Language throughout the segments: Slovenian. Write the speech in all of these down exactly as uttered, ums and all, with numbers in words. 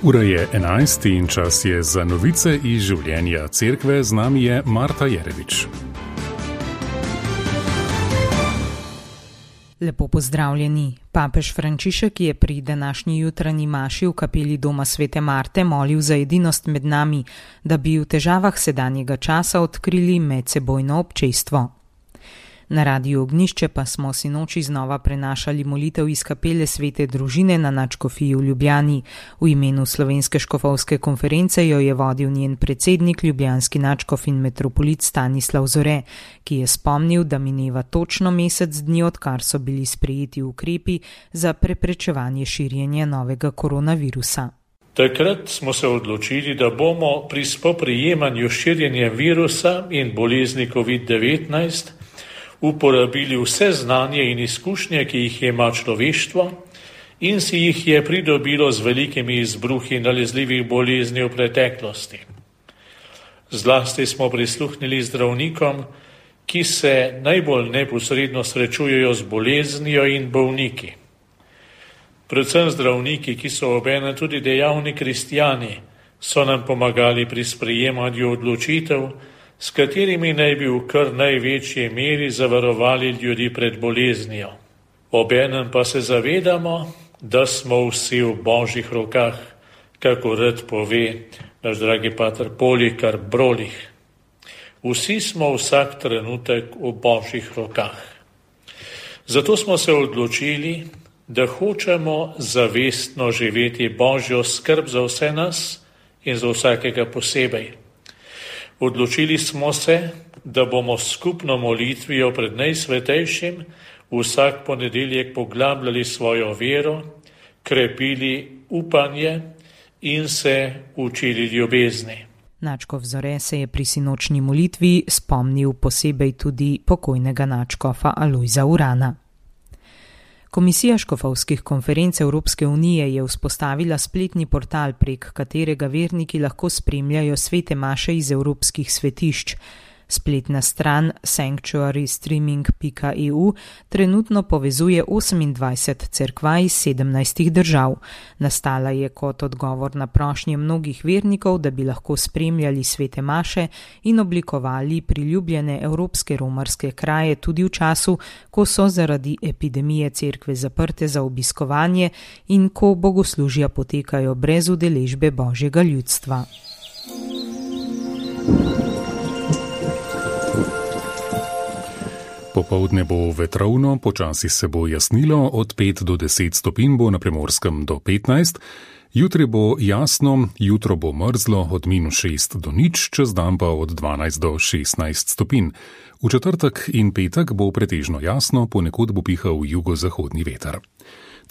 Ura je enajst in čas je za novice iz življenja cerkve. Z nami je Marta Jerevič. Lepo pozdravljeni. Papež Frančišek je pri današnji jutranji maši v kapeli doma Svete Marte molil za edinost med nami, da bi v težavah sedanjega časa odkrili medsebojno občestvo. Na Radiu Ognjišče pa smo sinoči znova prenašali molitev iz kapele Svete Družine na nadškofiji v Ljubljani. V imenu Slovenske škofovske konference jo je vodil njen predsednik, ljubljanski nadškof in metropolit Stanislav Zore, ki je spomnil, da mineva točno mesec dni, odkar so bili sprejeti ukrepi za preprečevanje širjenja novega koronavirusa. Takrat smo se odločili, da bomo pri spoprijemanju širjenja virusa in bolezni covid devetnajst uporabili vse znanje in izkušnje, ki jih ima človeštvo in si jih je pridobilo z velikimi izbruhi nalezljivih bolezni v preteklosti. Zlasti smo prisluhnili zdravnikom, ki se najbolj neposredno srečujejo z boleznijo in bolniki. Predvsem zdravniki, ki so obenem tudi dejavni kristjani, so nam pomagali pri sprejemanju odločitev, s katerimi naj bi v kar največji meri zavarovali ljudi pred boleznijo. Obenem pa se zavedamo, da smo vsi v Božjih rokah, kako rad pove naš dragi pater Polikar Brolih. Vsi smo vsak trenutek v Božjih rokah. Zato smo se odločili, da hočemo zavestno živeti Božjo skrb za vse nas in za vsakega posebej. Odločili smo se, da bomo skupno molitvijo pred najsvetejšim vsak ponedeljek poglabljali svojo vero, krepili upanje in se učili ljubezni. Nadškof Zore se je pri sinočni molitvi spomnil posebej tudi pokojnega nadškofa Alojza Urana. Komisija škofovskih konferenc Evropske unije je vzpostavila spletni portal, prek katerega verniki lahko spremljajo svete maše iz evropskih svetišč. Spletna stran sanctuary streaming pika e u trenutno povezuje osemindvajset cerkva iz sedemnajstih držav. Nastala je kot odgovor na prošnje mnogih vernikov, da bi lahko spremljali svete maše in oblikovali priljubljene evropske romarske kraje tudi v času, ko so zaradi epidemije cerkve zaprte za obiskovanje in ko bogoslužja potekajo brez udeležbe Božjega ljudstva. Popoldne bo vetrovno, počasi se bo jasnilo, od pet do deset stopinj bo na Primorskem do petnajst. Jutri bo jasno, jutro bo mrzlo od minus šest do nič, čez dan pa od dvanajst do šestnajst stopinj. V četrtek in petek bo pretežno jasno, ponekod bo pihal jugozahodni veter.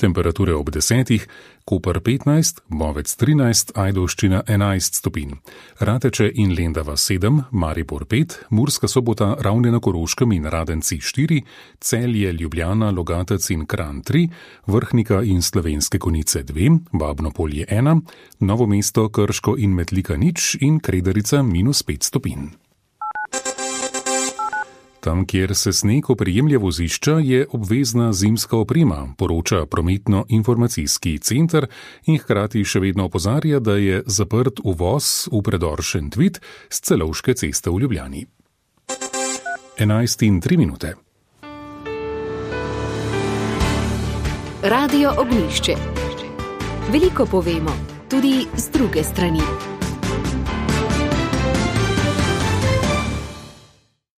Temperature ob desetih, Koper petnajst, Bovec trinajst, Ajdovščina enajst stopinj. Rateče in Lendava sedem, Maribor pet, Murska Sobota, Ravne na Koroškem in Radenci štiri, Celje, Ljubljana, Logatec in Kranj tri, Vrhnika in Slovenske Konjice dve, Babno Polje ena, Novo mesto, Krško in Metlika nič in Kredarica minus pet stopinj. Tam, kjer se sneg oprijemlja vozišča, je obvezna zimska oprema, poroča prometno-informacijski center in hkrati še vedno opozarja, da je zaprt uvoz v predor Šentvid s Celovške ceste v Ljubljani. enajst in tri minute. Radio Ognjišče. Veliko povemo, tudi z druge strani.